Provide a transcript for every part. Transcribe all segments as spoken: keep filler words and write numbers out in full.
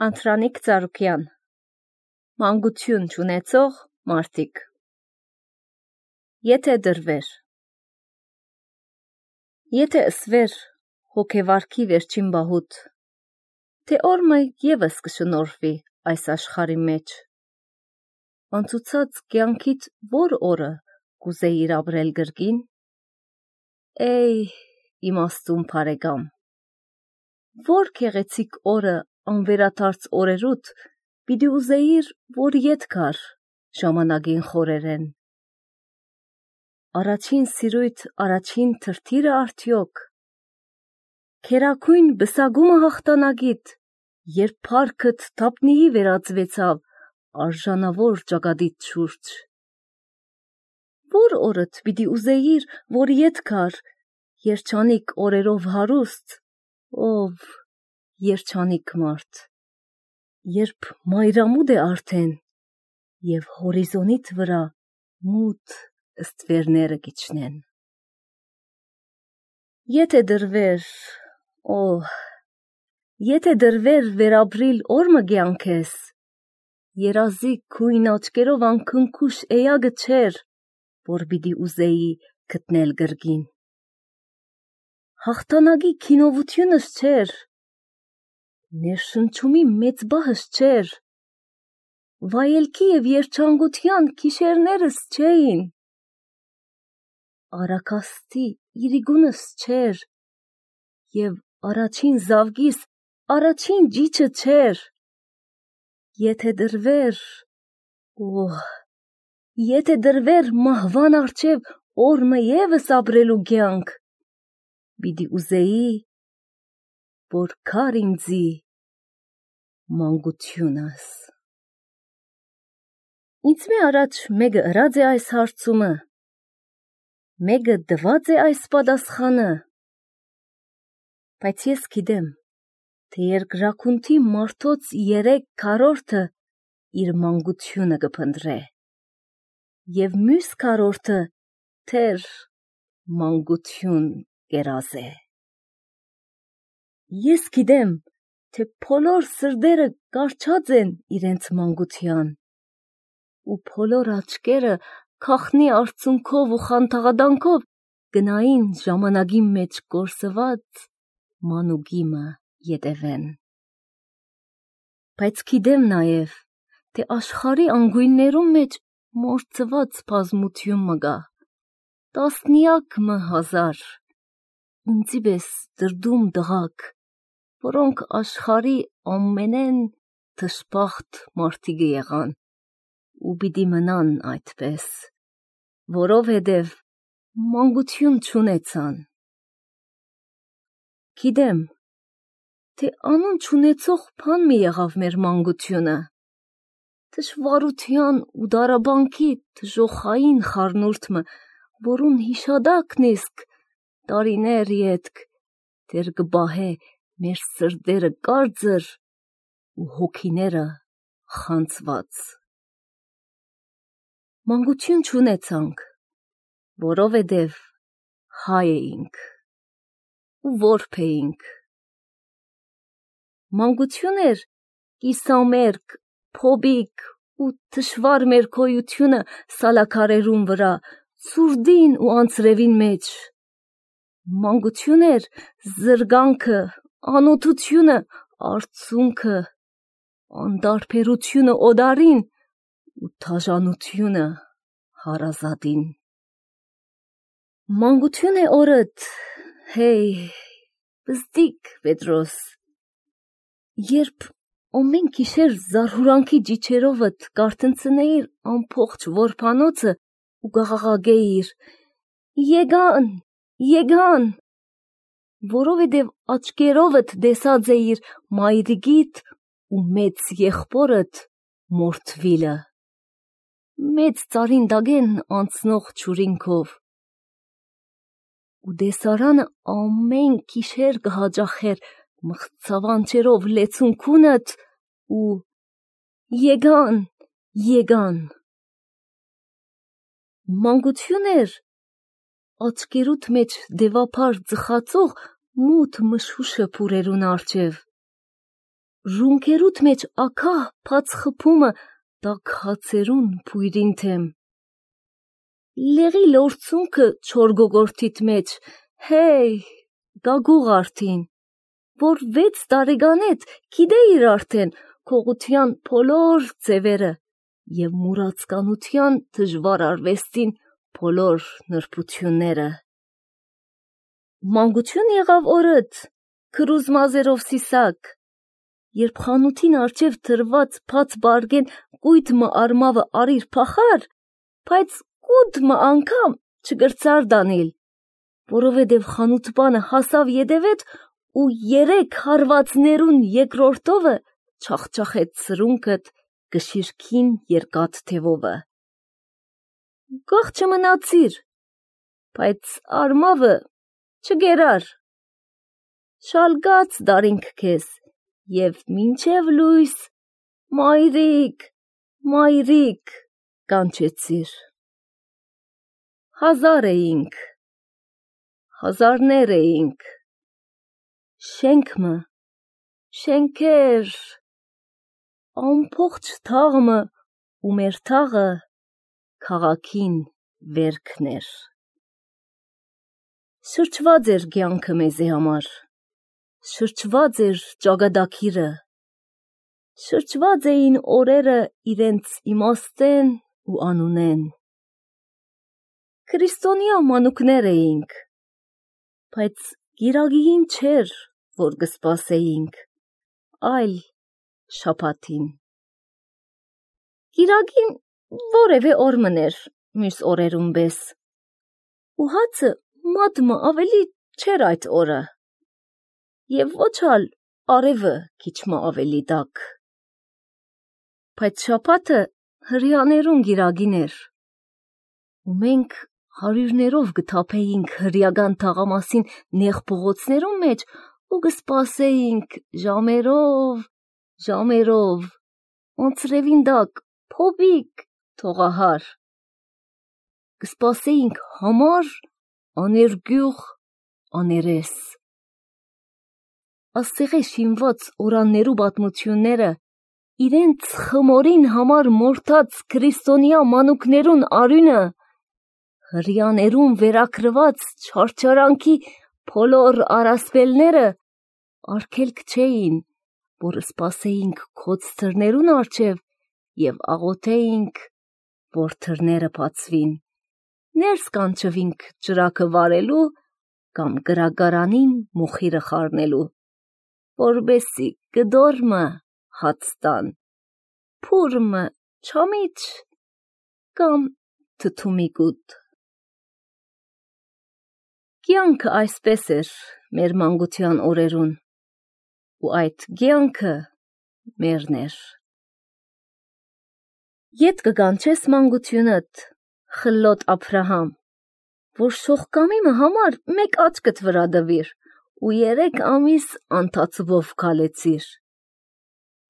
Անտրանիկ Ծառուկյան Մանկություն չունեցող մարդիկ Եթե դրվեր Եթե ըսվեր հոգևարքի վերջին բահուտ, թե օրը ևս կշնորհվի այս աշխարհի մեջ, անցուցած կյանքիդ որ օրը կուզեիր ապրել գրկին, Էй իմաստուն բարեկամ, որ գեղեցիկ օրը անվերադարձ օրերուդ պիտի ուզեիր, որ ետ գար ժամանակին խորերեն, առաջին սիրույթ առաջին թրթիրը արդյոք, քերագույն բսագումը հաղթանակիդ, երբ փառքդ թափնիի վերածվեցավ արժանավոր ճակատիդ շուրջ, որ օրդ պիտի ուզեիր, որ ետ գար երջանիկ օրերով հարուստ, ով երջանիկ մարդ, երբ մայրամուտ է արդեն և հորիզոնիդ վրա մութ ստվերները կիջնեն։ Եթե դրվեր, օ, եթե դրվեր վերաբրիլ օրը կյանքես, երազի քույն աչքերով անքնքուշ էյագը չէր, որ պիտի ուզեի գտնել գրկին։ Հաղթանակի քինովությունս չէր, ներշնչումի մեծ բահս չէր, վայելքի և երջանկության գիշերներս չէին, արաքաստի իրիգունս չէր և առաջին զավգիս առաջին ջիջը չէր, եթե դրվեր, օ, եթե դրվեր մահվան առջև օրը ևս ապրելու կյանք, պիտի ուզեի, որ գար ինձի մանկությունս։ Ինձ մի առաջ մեկը ըրած է այս հարցումը, մեկը տված է այս պատասխանը, բայց ես գիտեմ, թե երկրաքունթի մարդոց երեք քառորդը իր մանկությունը կփնտրե, և մյուս քառորդը թեր մանկություն կերազե։ Ես գիտեմ, թե բոլոր սրտերը կառչած են իրենց մանկության, ու բոլոր աչքերը քաղտնի արցունքով ու խանդաղադանքով գնային ժամանակի մեջ կորսված մանուկիմը ետևեն։ Բայց գիտեմ նաև, թե աշխարհի անգույններում մեջ մորցված բազմություն մգա, տասնյակ մը հազար, ինձի պես դրդում տղաք, որոնք աշխարհի ամենեն դժբախտ մարդիկը եղան ու պիտի մնան այդպես, որովհետև մանկություն չունեցան։ Գիտեմ, թե անուն չունեցող բան մի եղավ մեր մանկությունը, դժվարության ու դարաբանքի դժոխային խառնուրդը, որուն հիշադակն իսկ տարիներ ետք դեռ կպահե մեր սրտերը կարծր ու հոգիները խանձված։ Մանկություն չունեցանք, որովհետև հայ էինք ու որբ էինք։ Մանկություն էր կիսամերկ, փոբիկ ու դժվար մեր գոյությունը սալաքարերուն վրա, ցուրտին ու անձրևին մեջ։ Մանկություն էր զրկանքը, անօթությունը, արցունքը, անտարբերությունը օդարին ու դաժանությունը հարազատին։ Մանկություն է օրդ, հեյ, պստիկ Պետրոս, երբ ամեն գիշեր զարհուրանքի ջիջերովդ կարթնցնեիր ամբողջ որբանոցը ու կաղաղակեիր. «Եկան, եկան», որովհետև աչքերովդ տեսած էիր մայրիկիդ ու մեծ եղբորդ մորթվիլը, մեծ ծառին տակեն անցնող ջուրինքով, ու տեսարանը ամեն գիշեր կհաճախեր մղձավանջերով լեցունքունդ ու «Եկան, եկան»։ Մանկություն էր աչքերուդ մեջ դևափար ծխացող մութ մշուշը փուրերուն առջև, Ռունքերուտ մեջ ակահ փած խփումը տակ հացերուն փույրին թեմ։ Լեղի լորցունքը չոր գոգորթիտ մեջ, հեյ, գագուղ արդին, որ վեց տարեգանետ գիտեիր արդեն քողության փոլոր ձևերը և մուրացկանության դժվար արվեստին փոլոր նրբությունները։ Մանկություն եղավ օրըդ, քրուզ մազերով սիսակ, երբ խանութին արջև թրված փած բարգեն կույտմը արմավը արիր փախար, բայց կուտմը անգամ չգրծար դանիլ, որովհետև խանութբանը հասավ ետևետ ու երեք հարվածներուն երկրորդովը չախճախեց սրունքըտ գշիրքին երկաթ թևովը։ Գող չմնացիր, բայց արմավը չգերար, շալգաց դարինք քեզ և մինչև լույս մայրիկ, մայրիկ կանչեցիր։ Հազար էինք, հազարներ էինք, շենքմը, շենքեր, ամփոխ թաղմը ու մեր թաղը քաղաքին վերքներ։ Շրջված էր կյանքը մեզի համար, շրջված էր ճագադակիրը, շրջված էին օրերը իրենց իմաստեն ու անունեն։ Քրիստոնյա մանուկներ էինք, բայց գիրագին չէր, որ գսպասեինք, այլ շապատին։ Գիրագին որևէ օր մներ մյուս օրերուն պես, ու հացը մատմը ավելի չէր այդ օրը, և ոչ ալ արևը քիչմը ավելի տաք։ Բայց շապատը հրյաներուն գիրագին էր, ու մենք հարյուրներով գթափեինք հրյական թաղամասին նեղ փողոցներուն մեջ ու գսպասեինք ժամերով, ժամերով, անցրևին դակ փոբիկ թողահար, գսպասեինք համար, աներգյուղ, աներես։ Աստեղե շինված օրաններու պատմությունները իրենց խմորին համար մորթած քրիստոնյա մանուկներուն արյունը հրյաներուն վերակրված չարչարանքի փոլոր արասպելները արգելք չէին, որ սպասեինք քոծ թրներուն արջև և աղոթեինք, որ թրները բացվին, ներս կանչվինք ճրակը վարելու կամ գրագարանին մոխիրը խառնելու, որբեսի գդորմը հաց տան, փուրմը չամիչ կամ թթումիկուտ։ Կյանքը այսպես էր մեր մանկության օրերուն, ու այդ կյանքը մերն էր։ Ետ կգանչես մանկությունըդ, խլոտ Աբրահամ, որ շողկամիմը համար մեկ աչքդ վրա դվիր ու երեք ամիս անթացվով քալեցիր։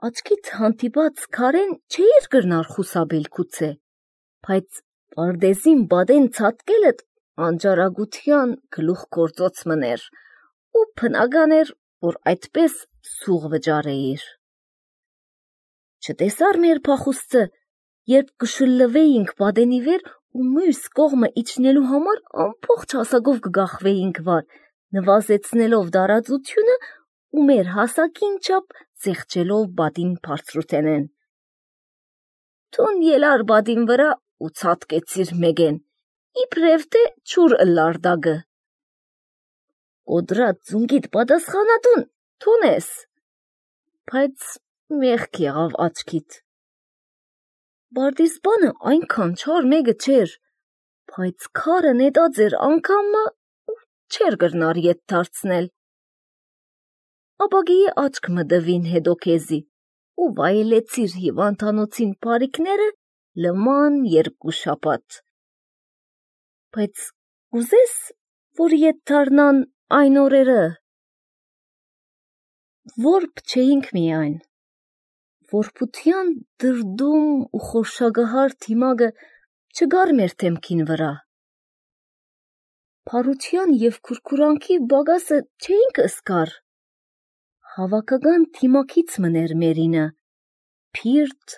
Աչքիդ հանդիպած քարեն չէիր գրնար խուսաբել քուցե, բայց պարդեզին բադեն ցատկելդ անջարագության գլուխ գործոց մներ ու փնական էր, որ այդպես սուղ վճարեիր։ Չտեսար մեր փախուստը, երբ կշլվեինք բադենի վեր ու մյուս կողմը իջնելու համար ամբողջ հասակով կգախվեինք վար, նվազեցնելով դարածությունը ու մեր հասակին չափ զեղչելով բադին բարձրութենեն։ Թուն ելար բադին վրա ու ցատկեցիր մեկեն, իբրև թե չուր ըլլար դագը։ Կոդրած ձունգիդ պատասխանատուն թունես, բայց մեղք եղավ աչքիդ։ Բարդիզբանը այնքան չար մեկը չէր, բայց քարը նետած էր անգամը ու չէր գրնար ետ դարձնել։ Ապագիի աչք մդվին հետո քեզի ու վայելեցիր հիվանդանոցին բարիքները լման երկու շաբաթ։ Բայց ուզես, որ ետ դառնան այն օրերը, որբ չէինք միայն, որբության դրդում ու խորշագահար թիմագը չգար մեր թեմքին վրա։ Փարության և քուրքուրանքի բագասը չէինք ըսկար, Հավաքական թիմակից մներ մերինը, փիրտ,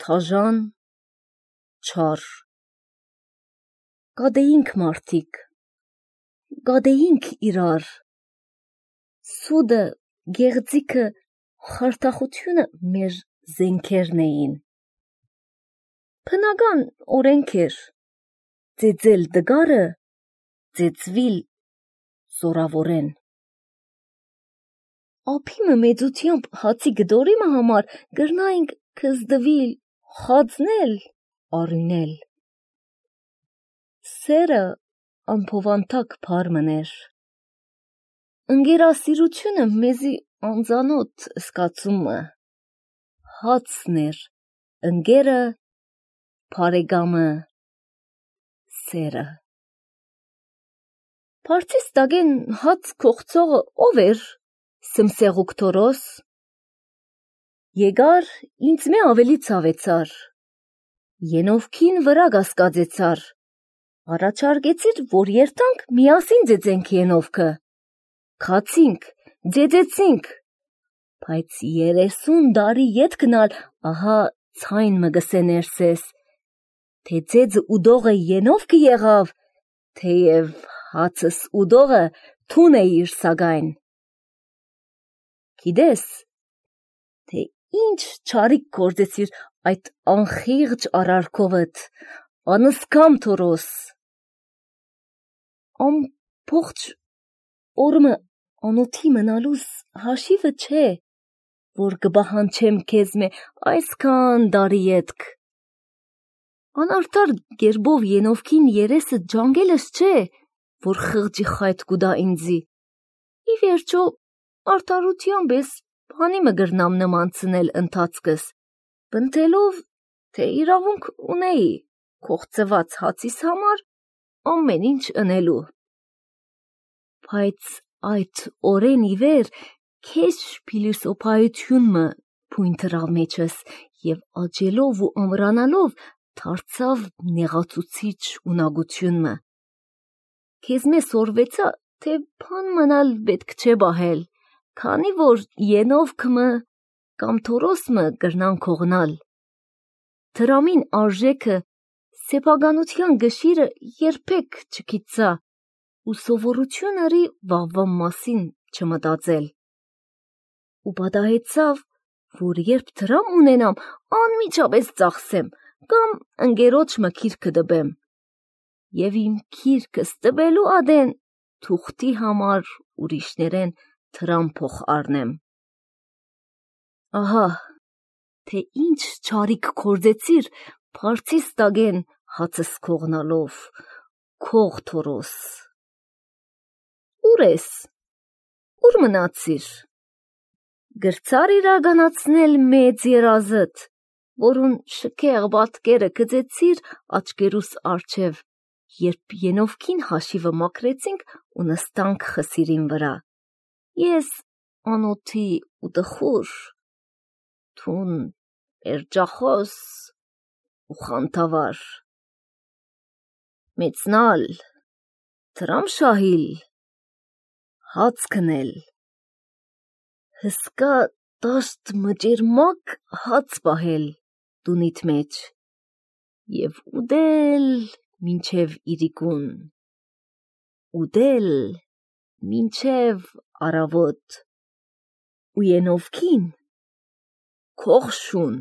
թաժան, չար։ Գադեինք մարդիկ, գադեինք իրար, սուդը, գեղձիքը, խարդախությունը մեր զենքերն էին։ Փնական օրենք էր, ծեծել դգարը, ծեծվիլ զորավորեն։ Ափիմը մեծությամբ հացի գդորիմը համար գրնայինք կզդվիլ, խածնել, արյունել։ Սերը անփովանտակ փարմն էր։ Ընկերասիրությունը մեզի անծանոթ սկացումը, հացն էր, ընկերը, փարեգամը, սերը։ Փարցիս տագեն հաց կողցողը ով էր, Սմսեղուկ Թորոս։ Եկար ինձ մե ավելի ցավեցար, ենովքին վրա գասկածեցար, առաջարկեցիր, որ երթանք միասին ձեծենք ենովքը, քացինք, ձեծեցինք, բայց երեսուն դարի ետ գնալ, ահա ցայն մգսե ներսես, թե ձեծը ուդողը ենովքը եղավ, թեև հացս ուդողը թուն է իր սագայն։ Գիտես, թե ինչ չարիք գործեցիր այդ անխիղճ արարքովդ, անսկամ Թորոս։ Ամբողջ օրը անոթի մնալուս հաշիվը չէ, որ կբահանչեմ քեզ մե այսքան դարի ետք։ Անարդար գերբով ենովքին երեսը ջանգելս չէ, որ խղճի խայտ կուդա ինձի։ Ի վերջո արդարությամբ ես բանի մը գրնամ նմանցնել ընթացքս, բնթելով, թե իրավունք ունեի կողծված հացիս համար ամեն ինչ ընելու։ Բայց այդ օրեն ի վեր քեզ փիլիսոփայություն մը փույն թրավ մեջս և աջելով ու ամրանալով դարձավ նեղացուցիչ ունակություն մը։ Քեզ մե սորվեցա, թե բան մնալ պետք չէ բահել, քանի որ ենովքը մը կամ Թորոսը մը գրնան քողնալ։ Թրամին արժեքը սեփականության գշիրը երբեք չգիտցա ու սովորություն արի վաղվա մասին չմտածել։ Ու պատահեցավ, որ երբ թրամ ունենամ, անմիջապես ծախսեմ կամ ընկերոջ մը քիրքը դբեմ։ Եվ իմ քիրքս տբելու ադեն թուղթի համար ուրիշներեն թրամ փող առնեմ։ Ահա, թե ինչ չարիք կործեցիր փարցիս տագեն հացս քողնալով, քող Թորոս։ Ուր ես, ուր մնացիր։ Գրցար իրականացնել մեծ երազդ, որուն շքեղ պատկերը գծեցիր աչկերուս առջև, երբ ենովքին հաշիվը մաքրեցինք ու նստանք խսիրին վրա։ Ես անոթի ու տխուր, թուն էրջախոս ու խանթավար։ Մեծնալ, թրամ շահիլ, հաց քնել, հսկա տաշտ մճերմակ հաց պահել տունիդ մեջ և ուդել մինչև իրիկուն, ուդել մինչև առավոտ ու ենովքին քող շուն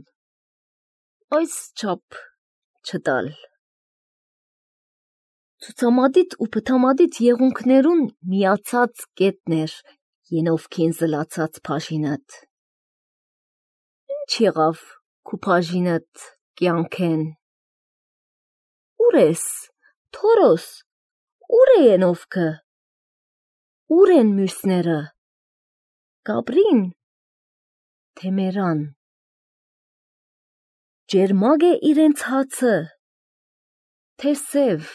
այս չափ չտալ։ Ցուցամատիտ ու պտամատիտ եղունքներուն միացած կետն էր ենովքին զլացած փաշինդ։ Ինչ եղավ քու փաշինդ կյանքեն։ Ուր ես, Թորոս, ուր է ենովքը։ Ուր են մյուսները։ Գաբրին, թե մերան։ Ջերմակ է իրենց հացը, թե սև։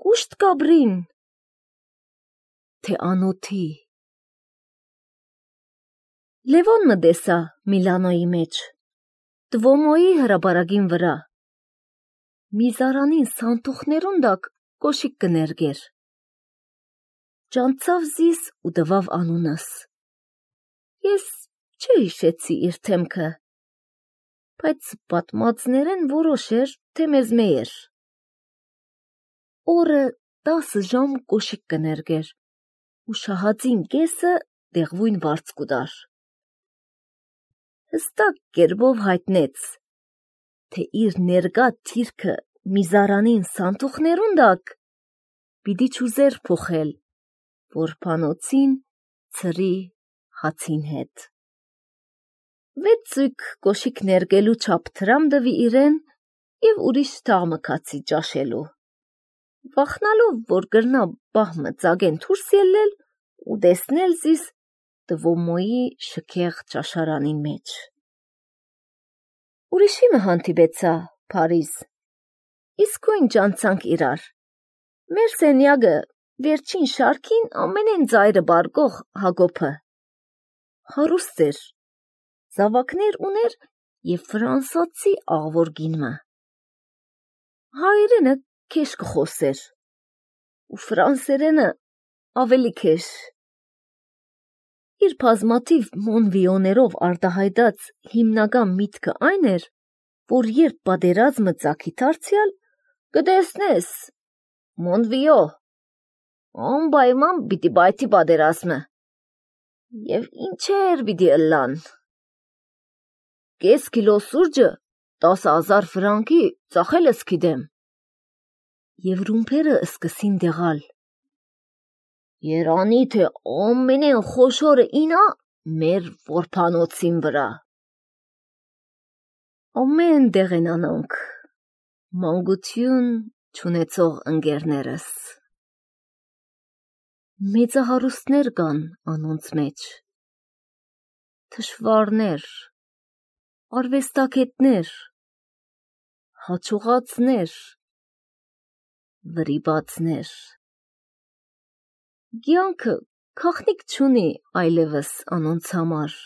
Կուշտ Գաբրին, թե անոթի։ Լևոն մը դեսա Միլանոյի մեջ, Տվոմոյի հրապարակին վրա։ Միզարանին սանթուխներուն դակ կոշիկ կներգեր։ ճանցավ զիս ու տվավ անունս։ Ես չհիշեցի իր թեմքը, բայց պատմածներեն որոշ էր, թե մեզ մեյեր։ Օրը տասը ժամ կոշիկ կներգեր, ու շահածին կեսը դեղվույն վարձ կուդար։ Հստակ կերբով հայտնեց, թե իր ներգա թիրքը միզարանին սանթուխներուն դակ պիտի չուզեր փոխել, որ պանոցին ծրի հացին հետ։ Վեց ծույկ կոշիկ ներգելու չապ թրամ դվի իրեն և ուրիշ թաղ մկացի ճաշելու։ Վախնալով, որ գրնա բահմը ծագեն թուրս ելել ու դեսնել զիս տվոմոյի շքեղ ճաշարանին մեջ։ Ուրիշի մը հանդիպեցա Փարիզ, իսկույն ճանցանք իրար։ Մեր սենյակը վերջին շարքին ամենեն ծայրը բարգող Հակոբը։ Հարուստ էր, զավակներ ուներ և ֆրանսացի աղվոր գինմը։ Հայերենը քեշ կխոսեր, ու ֆրանսերենը ավելի քեշ։ Իր բազմաթիվ մոնվիոներով արտահայտած հիմնական միտքը այն էր, որ երբ պատերազմը ծագի դարձյալ, կտեսնես, մոնվիո, անպայման պիտի բայթի պատերազմը, և ինչեր պիտի ըլլան։ Կես կիլո սուրճը տասը հազար ֆրանկի ծախել ես գիտեմ։ Եվ ռումբերը սկսին դեղալ։ Երանի թե ամենեն խոշորը ինա մեր որբանոցին վրա։ Ամեն դեղ են անոնք, մանկություն չունեցող ընկերներս։ Մեծահարուստներ կան անոնց մեջ, թշվառներ, արվեստագետներ, հաջողածներ, վրիպածներ։ Կյանքը գաղտնիք չունի այլևս անոնց համար։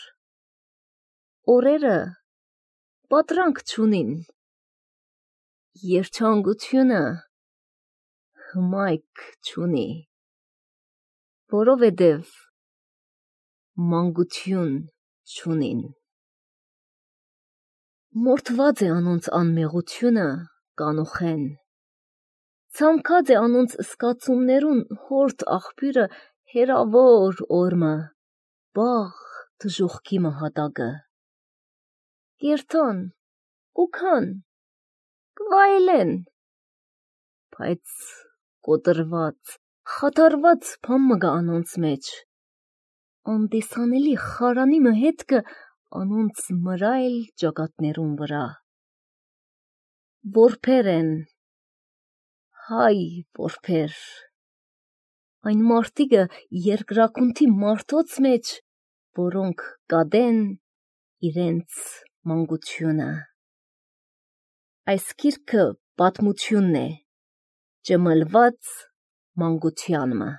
Օրերը պատրանք չունին, երջանկությունը հմայք չունի, որովհետև մանկություն չունին։ Մորթված է անոնց անմեղությունը կանուխեն, ցամքած է անոնց սկացումներուն հորդ աղբյուրը հերավոր օրմը, բաղ դժուխքի մահատակը։ Կերթան, կուքան, կվայելեն, բայց կոտրված, խաթարված բան մը գա անոնց մեջ, անտեսանելի խարանի մը հետքը անոնց մրայլ ճակատներուն վրա։ Որբեր են, հայ որբեր, այն մարդիկը երկրակունթի մարդոց մեջ, որոնք կադեն իրենց մանկությունը։ Այս գիրքը պատմությունն է, ճմլված մանկությանմը։